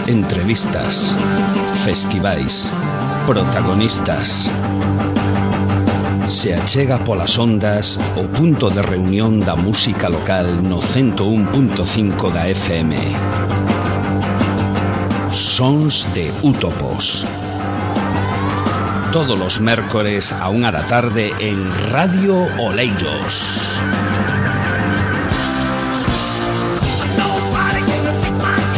entrevistas, festivais, protagonistas. Se achega polas ondas o punto de reunión da música local no 101.5 da FM. Sons de Útopos. Todos los mércores a 1 da tarde en Radio Oleiros.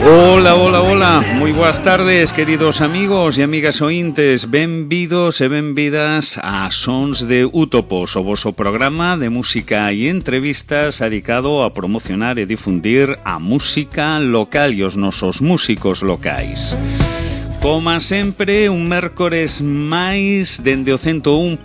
Hola, hola, hola, moi boas tardes, queridos amigos e amigas ointes. Benvidos e benvidas a Sons de Útopos, o voso programa de música e entrevistas dedicado a promocionar e difundir a música local e os nosos músicos locais. Como sempre, un mércores máis dende o 101.5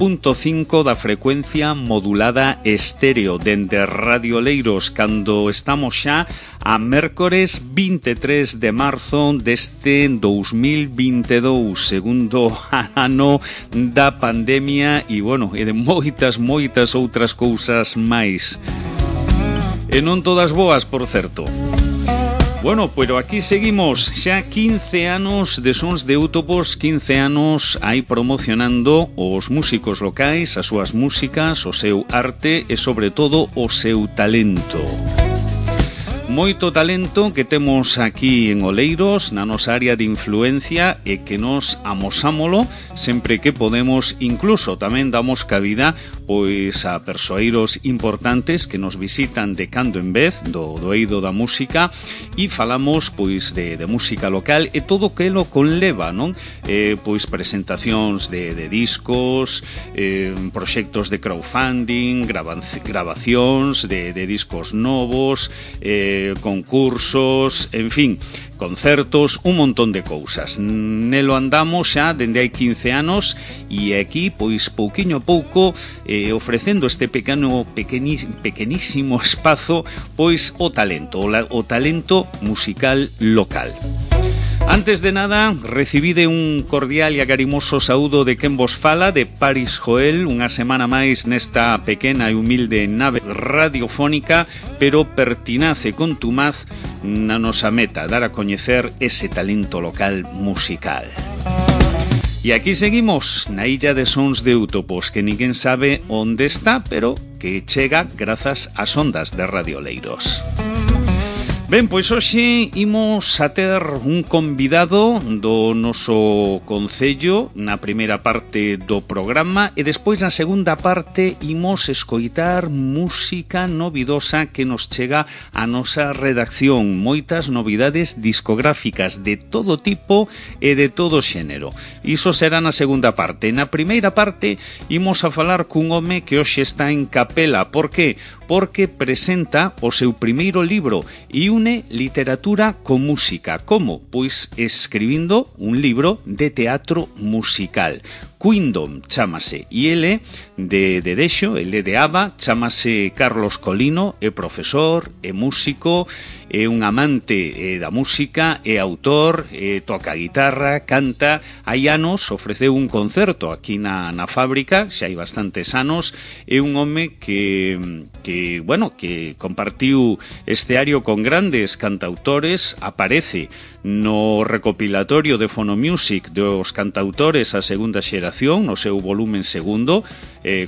da frecuencia modulada estéreo dende Radio Oleiros, cando estamos xa a mércores 23 de marzo deste 2022, segundo ano da pandemia e, bueno, e de moitas outras cousas máis. E non todas boas, por certo. Bueno, pero aquí seguimos xa 15 anos de Sons de Útopos, 15 anos aí promocionando os músicos locais, as súas músicas, o seu arte e, sobre todo, o seu talento. Moito talento que temos aquí en Oleiros, na nosa área de influencia, e que nos amosámolo sempre que podemos. Incluso tamén damos cabida pois a persoeiros importantes que nos visitan de cando en vez do eido da música, e falamos pois de música local e todo o que lo conleva, non? Pois presentacións de discos, proxectos de crowdfunding, grabacións de discos novos, concursos, en fin, concertos, un montón de cousas. Nelo andamos xa dende hai 15 anos e aquí, pois, pouquiño a pouco, ofrecendo este pequenísimo espazo, pois, o talento musical local. Antes de nada, recibide un cordial e agarimoso saúdo de quen vos fala, de Paris Joel, unha semana máis nesta pequena e humilde nave radiofónica, pero pertinace contumaz na nosa meta, dar a coñecer ese talento local musical. E aquí seguimos, na illa de Sons de Útopos, que ninguén sabe onde está, pero que chega grazas ás ondas de Radio Oleiros. Ben, pois hoxe imos a ter un convidado do noso concello na primeira parte do programa, e despois na segunda parte imos escoitar música novidosa que nos chega a nosa redacción, moitas novidades discográficas de todo tipo e de todo xénero. Iso será na segunda parte. Na primeira parte imos a falar cun home que hoxe está en capela. Por que? Porque presenta o seu primeiro libro e une literatura con música. Como? Pois escribindo un libro de teatro musical. Queendom chámase, e ele de Dexo, ele de Aba, chámase Carlos Colino, é profesor, é músico, é un amante da música, é autor, toca guitarra, canta. Hai anos ofreceu un concerto aquí na fábrica, xa hai bastantes anos. É un home que compartiu escenario con grandes cantautores, aparece no recopilatorio de Phonomusic dos cantautores a segunda xeración, no seu volumen segundo,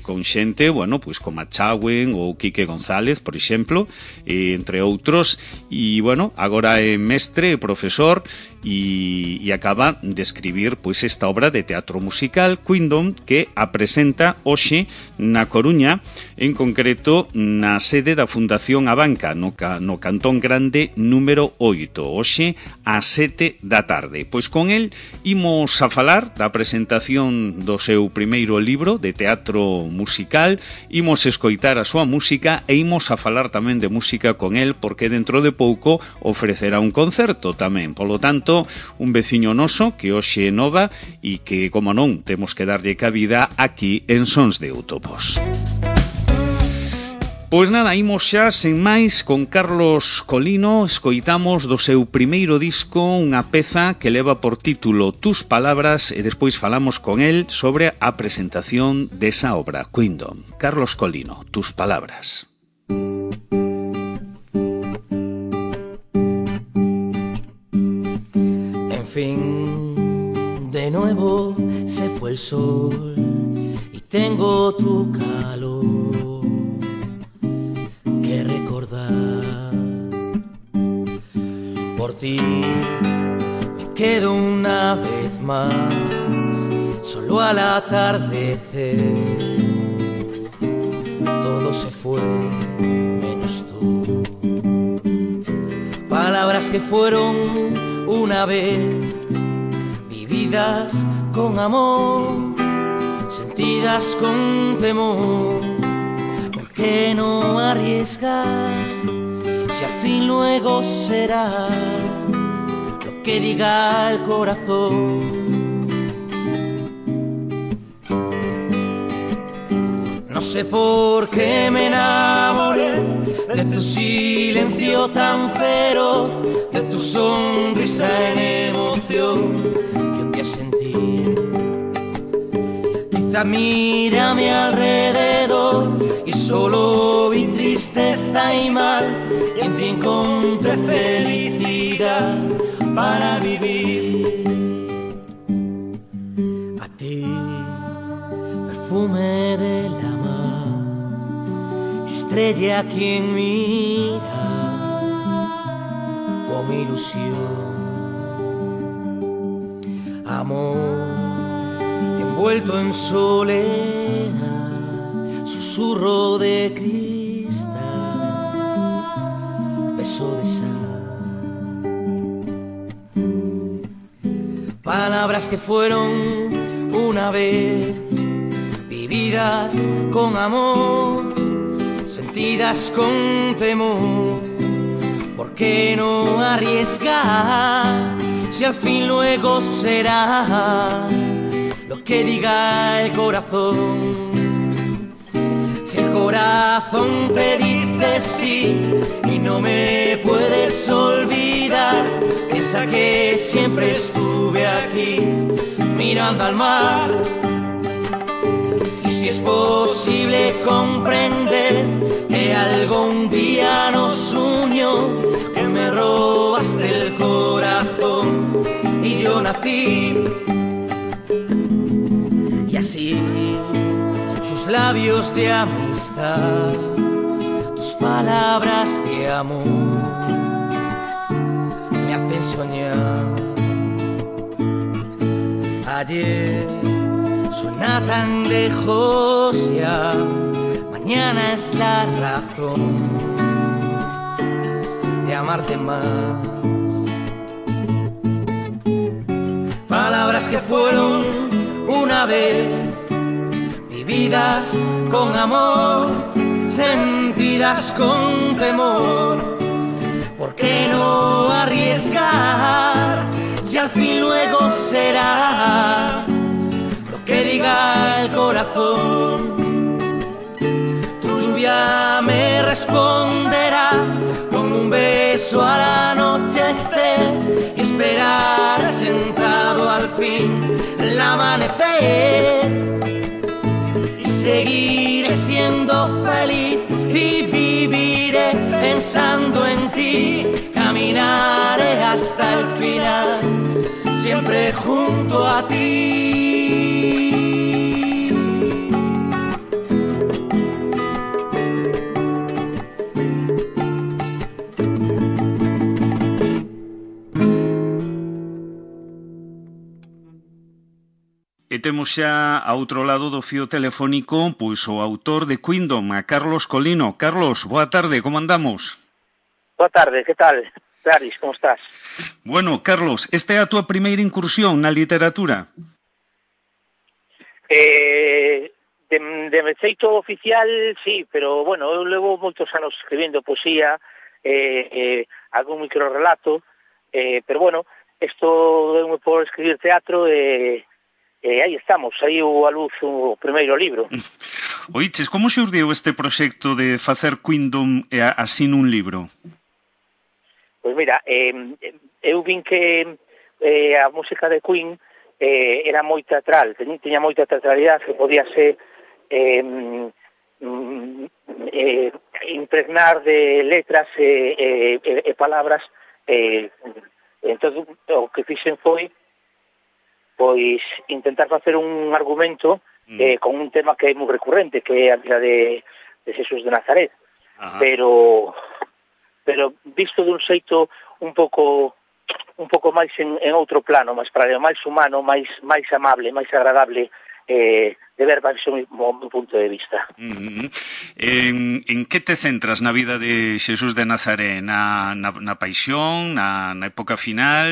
con xente, pois como a Chawen ou Quique González, por exemplo, entre outros. E, agora é mestre e profesor e acaba de escribir pois esta obra de teatro musical, Queendom, que a presenta hoxe na Coruña, en concreto na sede da Fundación Abanca, no Cantón Grande número 8, hoxe a 7 da tarde. Pois con el imos a falar da presentación do seu primeiro libro de teatro musical, imos escoitar a súa música e imos a falar tamén de música con el, porque dentro de pouco ofrecerá un concerto tamén. Polo tanto, un veciño noso que hoxe é nova e que, como non, temos que darlle cabida aquí en Sons de Útopos. Pois nada, imos xa sen máis con Carlos Colino. Escoitamos do seu primeiro disco unha peza que leva por título Tus Palabras e despois falamos con el sobre a presentación desa obra, Queendom. Carlos Colino, Tus Palabras. nuevo se fue el sol y tengo tu calor que recordar. Por ti me quedo una vez más solo al atardecer. Todo se fue menos tú. Palabras que fueron una vez vividas con amor, sentidas con temor. ¿Por qué no arriesgar si al fin luego será lo que diga el corazón? No sé por qué me enamoré de tu silencio tan feroz, de tu sonrisa en emoción que un día sentí. Quizá miré a mi alrededor y solo vi tristeza y mal, y en ti encontré felicidad para vivir. A ti, perfume de la estrella quien mira con ilusión, amor envuelto en soledad, susurro de cristal, beso de sal. Palabras que fueron una vez vividas con amor, sentidas con temor. ¿Por qué no arriesgar si al fin luego será lo que diga el corazón? Si el corazón te dice sí y no me puedes olvidar, piensa que siempre estuve aquí mirando al mar. Si es posible comprender que algún día nos unió, que me robaste el corazón y yo nací. Y así tus labios de amistad, tus palabras de amor me hacen soñar. Ayer suena tan lejos ya, mañana es la razón de amarte más. Palabras que fueron una vez vividas con amor, sentidas con temor. ¿Por qué no arriesgar si al fin luego será que diga el corazón? Tu lluvia me responderá con un beso al anochecer y esperar sentado al fin el amanecer. Y seguiré siendo feliz y viviré pensando en ti. Caminaré hasta el final, siempre junto a ti. E temos xa a outro lado do fío telefónico pois o autor de Queendom, a Carlos Colino. Carlos, boa tarde, como andamos? Boa tarde, que tal? Claris, como estás? Bueno, Carlos, esta é a túa primeira incursión na literatura? De feito oficial, sí, pero, bueno, eu levo moitos anos escribindo poesía, algún microrelato, pero, bueno, isto deu-me por escribir teatro e aí estamos, aí a luz o primeiro libro. Oiches, como xurdiu este proxecto de facer Queendom así nun libro? Pois mira, eu vin que a música de Queen era moi teatral, tiña moita teatralidade, que podía ser impregnar de letras e palabras. Entón, o que fixen foi pois intentar facer un argumento con un tema que é moi recurrente, que é a vida de Xesús de Nazaret. Pero visto dun xeito un pouco máis en outro plano, máis paralelo, máis humano, máis amable, máis agradable de ver baixo o meu punto de vista. En que te centras na vida de Xesús de Nazaré? Na paixón, na época final?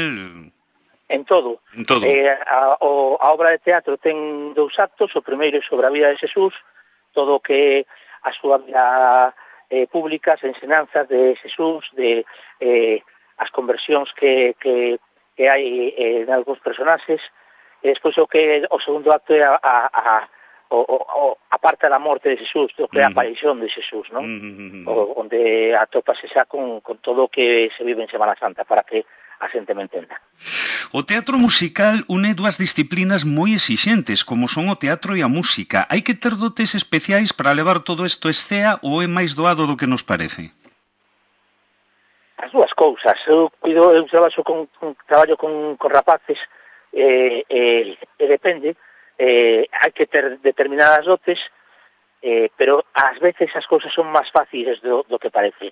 En todo. A obra de teatro ten 2 actos. O primeiro é sobre a vida de Xesús, todo o que a súa vida pública, as ensinanzas de Xesús, de as conversións que hai en algúns personaxes. E despois o segundo acto é a parte da morte de Xesús, o que é a paixón de Xesús, non? Onde atopase xa con todo o que se vive en Semana Santa, para que a xente me entenda. O teatro musical une 2 disciplinas moi exixentes, como son o teatro e a música. Hai que ter dotes especiais para levar todo isto a escea ou é máis doado do que nos parece? As 2 cousas. Eu traballo con rapaces e depende. Hai que ter determinadas dotes, pero ás veces as cousas son máis fáciles do que parece.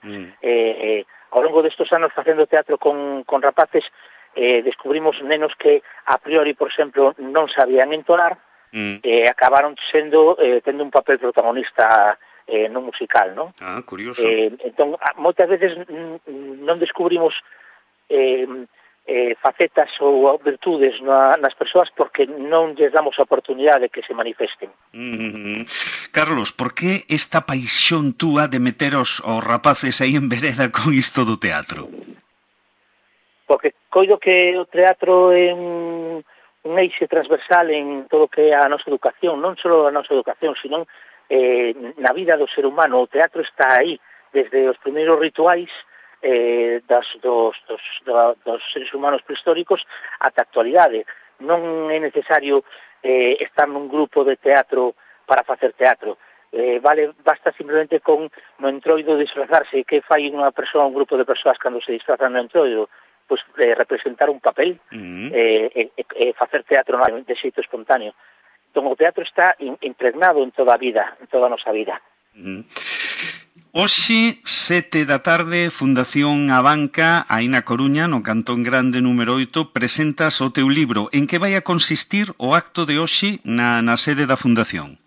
Ao longo destes anos facendo teatro con rapaces, descubrimos nenos que a priori, por exemplo, non sabían entonar, e acabaron tendo un papel protagonista no musical, non? Curioso. Entón, moitas veces non descubrimos facetas ou virtudes nas persoas porque non lles damos a oportunidade de que se manifesten. Carlos, por que esta paixón túa de meter os rapaces aí en vereda con isto do teatro? Porque coido que o teatro é un eixe transversal en todo o que é a nosa educación, non só a nosa educación, sino na vida do ser humano. O teatro está aí desde os primeiros rituais dos seres humanos prehistóricos ata a actualidade. Non é necesario estar nun grupo de teatro para facer teatro. Basta simplemente con no entroido disfrazarse. Que fai unha persoa, un grupo de persoas cando se disfrazan no entroido? Pois representar un papel e facer teatro de xeito espontáneo. Entón o teatro está impregnado en toda a vida, en toda a nosa vida. Hoxe, 7 da tarde, Fundación A Banca, aí na Coruña, no Cantón Grande número 8, presentas o teu libro. En que vai a consistir o acto de hoxe na sede da Fundación?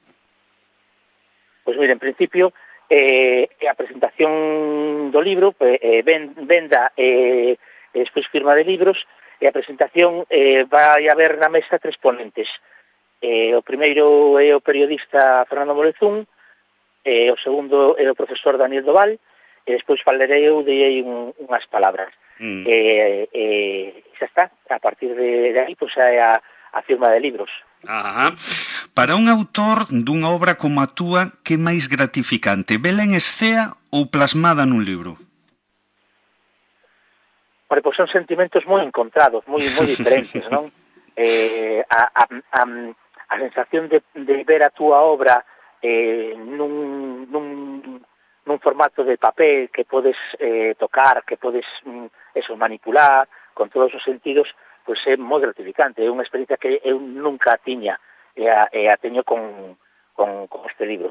Pois mira, en principio, a presentación do libro, venda e despois firma de libros, e a presentación vai haber na mesa 3 ponentes. O primeiro é o periodista Fernando Morezún, o segundo é o profesor Daniel Doval, e despois falarei eu de unhas palabras. Xa está, a partir de aí, pois é a firma de libros. Para un autor dunha obra como a túa, que máis gratificante, vela en escea ou plasmada nun libro? Pois son sentimentos moi encontrados, moi diferentes, non? A sensación de ver a túa obra nun formato de papel que podes tocar, que podes manipular con todos os sentidos, pois é moi gratificante. É unha experiencia que eu nunca tiña e a teño con este libro.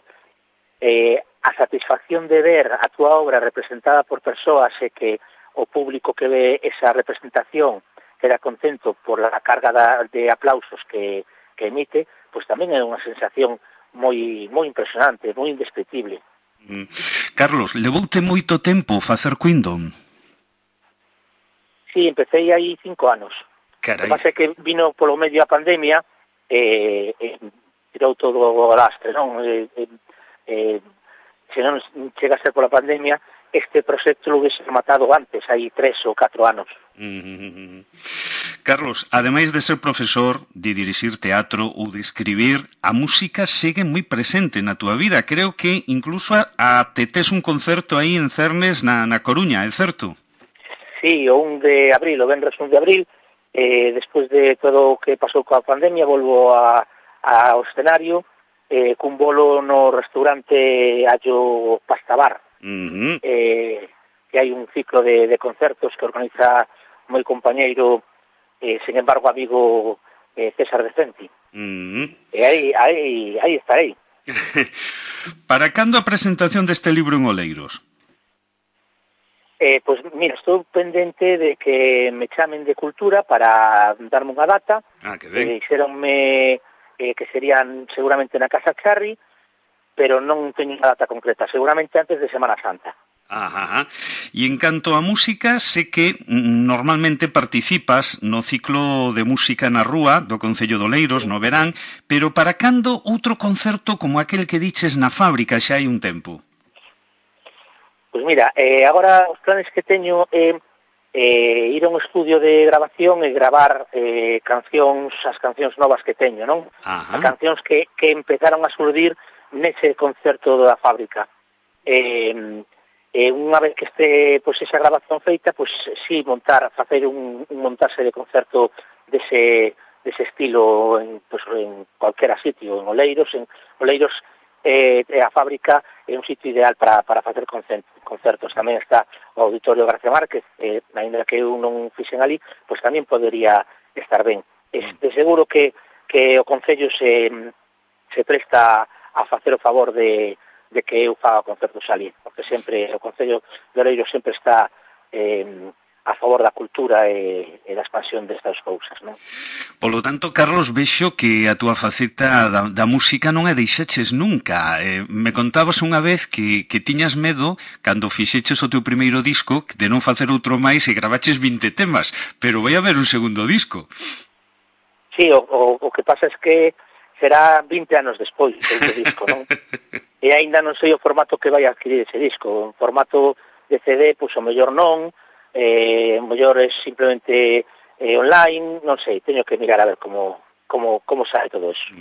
A satisfacción de ver a túa obra representada por persoas e que o público que ve esa representación queda contento por a carga de aplausos que emite, pois tamén é unha sensación moi impresionante, moi indescriptible. Carlos, levoute moito tempo facer Queendom? Sí, empecé aí 5 anos. Carai. O que pasa é que vino polo medio a pandemia e tirou todo o lastre, non? Se non chega a ser pola pandemia, este proxecto lo hubiese matado antes, hai 3 ou 4 anos. Carlos, ademais de ser profesor, de dirixir teatro ou de escribir, a música segue moi presente na túa vida. Creo que incluso te tes un concerto aí en Cernes na Coruña, é certo? Sí, o 1 de abril, o venres 1 de abril, despois de todo o que pasou coa pandemia, volvo ao escenario cun bolo no restaurante Allo Pasta Bar. Que hai un ciclo de concertos que organiza moi compañeiro, sen embargo amigo César de Centi. E aí estarei. Para cando a presentación deste libro en Oleiros? Pois mira, estou pendente de que me chamen de Cultura para darme unha data. Que ben. Dixeronme que serían seguramente na Casa Charri, pero non teño unha data concreta, seguramente antes de Semana Santa. E en canto a música, sé que normalmente participas no ciclo de música na rúa do Concello de Oleiros no verán, pero para cando outro concerto como aquel que diches na fábrica xa hai un tempo? Pois mira, agora os planes que teño é ir a un estudio de grabación e gravar as cancións novas que teño, non? As cancións que empezaron a surdir nese concerto da fábrica. Unha vez que este pois esa grabación feita, pois si facer un montaxe de concerto dese estilo en cualquera sitio, en Oleiros. A fábrica é un sitio ideal para facer concertos. Tamén está o Auditorio García Márquez, ainda que eu non fixen ali, pois tamén podería estar ben. De seguro que o Concello se presta a facer o favor de que eu faga concertos ali, porque sempre o Concello de Oleiros sempre está a favor da cultura e da expansión destas cousas, non? Polo tanto, Carlos, vexo que a túa faceta da música non a deixaches nunca. Me contabas unha vez que tiñas medo cando fixeches o teu primeiro disco de non facer outro máis e gravaches 20 temas, pero vai haber un segundo disco. Sí, o que pasa é que será 20 anos despois do disco, non? E aínda non sei o formato que vai adquirir ese disco. Un formato de CD, pois o mellor non, o mellor é simplemente online, non sei, teño que mirar a ver como sae todo eso.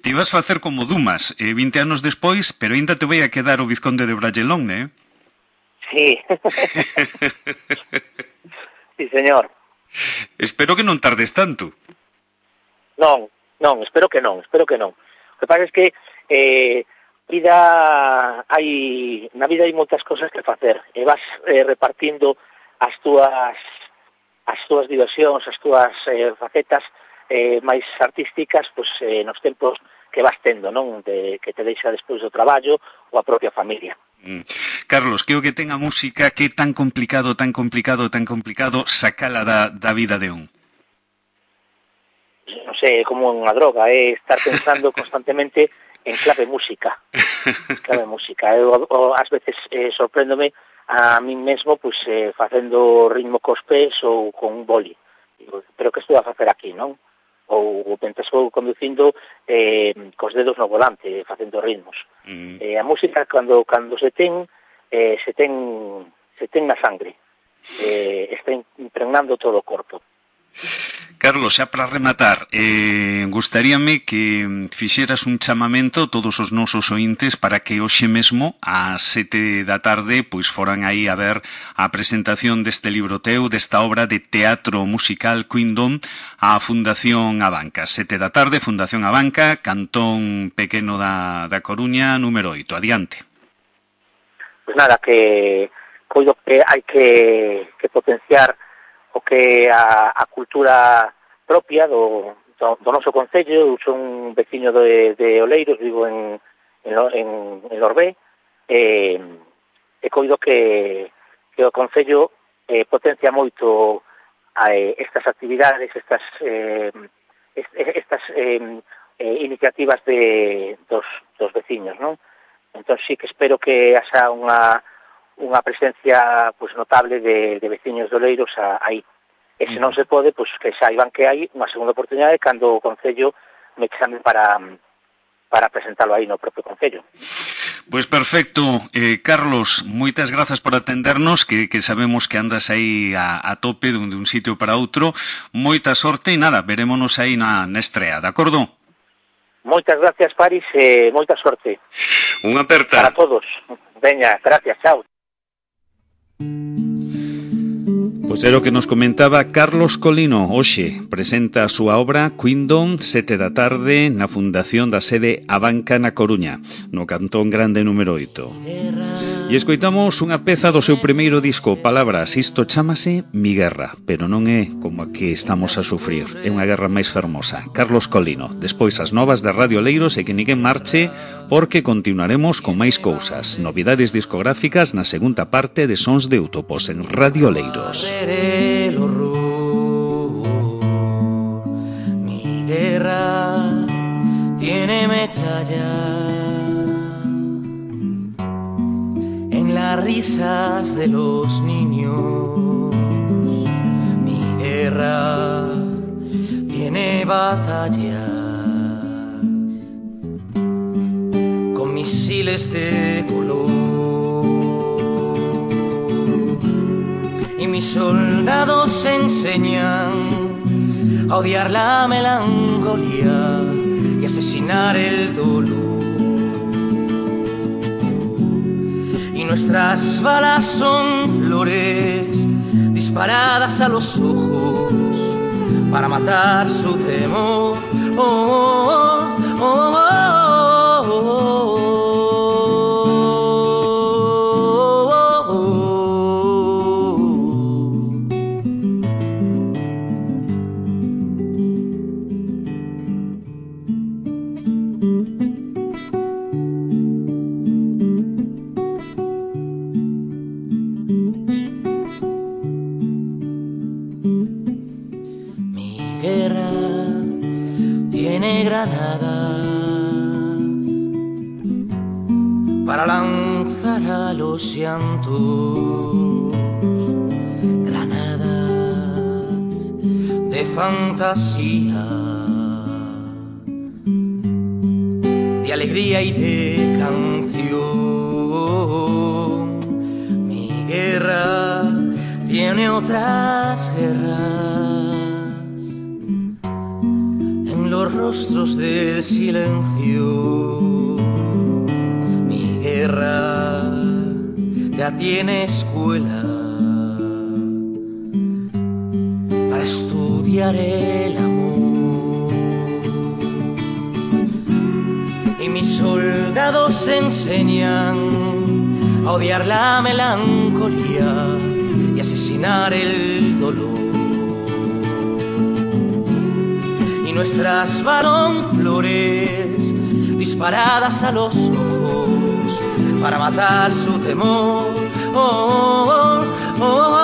Te ibas facer como Dumas, 20 anos despois, pero ainda te vai a quedar o Vizconde de Bragelón, né? Sí. Sí, señor. Espero que non tardes tanto. Non, espero que non. O que pasa é que na vida hai moitas cosas que facer e vas repartindo as túas diversións, as túas facetas máis artísticas, pois nos tempos que vas tendo, non? Que te deixa despois do traballo ou a propia familia. Carlos, que o que ten a música que é tan complicado sacala da vida de un? Non sei, é como unha droga, é estar pensando constantemente en clave música. Eu ás veces sorpréndome a min mesmo pois facendo ritmo cos pés ou con un boli. Pero que estou a facer aquí, non? Ou estou conducindo cos dedos no volante, facendo ritmos. A música cando se ten na sangre, está impregnando todo o corpo. Carlos, xa para rematar, gustaríame que fixeras un chamamento a todos os nosos ointes para que hoxe mesmo ás 7 da tarde pois foran aí a ver a presentación deste libro teu, desta obra de teatro musical Queendom á Fundación Abanca. 7 da tarde, Fundación Abanca, Cantón Pequeno da Coruña, número 8. Adiante. Pois nada, que coido que hai que potenciar o que a cultura propia do noso concello. Eu son un veciño de Oleiros, vivo en Lorbé, e coido que o concello potencia moito estas actividades, estas iniciativas dos veciños, non? Entón sí que espero que haxa unha presencia pois notable de veciños de Oleiros aí. E se non se pode, pois que saiban que hai unha segunda oportunidade cando o Concello me chame para presentalo aí no propio Concello. Pois perfecto. Carlos, moitas grazas por atendernos, que sabemos que andas aí a tope de un sitio para outro. Moita sorte e nada, verémonos aí na estrea, de acordo? Moitas gracias, Paris, e moita sorte. Unha aperta. Para todos. Veña, gracias, chao. Pois era o que nos comentaba Carlos Colino. Hoxe presenta a súa obra Queendom, 7 da tarde, na fundación da sede Abanca na Coruña, no Cantón Grande número 8. E escoitamos unha peza do seu primeiro disco, Palabras. Isto chámase Mi Guerra, pero non é como a que estamos a sufrir, é unha guerra máis fermosa. Carlos Colino, despois as novas de Radio Leiros e que ninguén marche, porque continuaremos con máis cousas, novidades discográficas na segunda parte de Sons de Útopos en Radio Leiros. Mi guerra tiene metralla en las risas de los niños. Mi guerra tiene batallas con misiles de color, y mis soldados enseñan a odiar la melancolía y asesinar el dolor. Nuestras balas son flores disparadas a los ojos para matar su temor. Oh, oh, oh, oh, oh, para lanzar a los llantos, granadas de fantasía, de alegría y de canción. Mi guerra tiene otras guerras en los rostros del silencio. Mi guerra ya tiene escuela para estudiar el amor, y mis soldados enseñan a odiar la melancolía y asesinar el dolor. Y nuestras balas flores disparadas a los ojos para matar su temor. Oh, oh, oh, oh.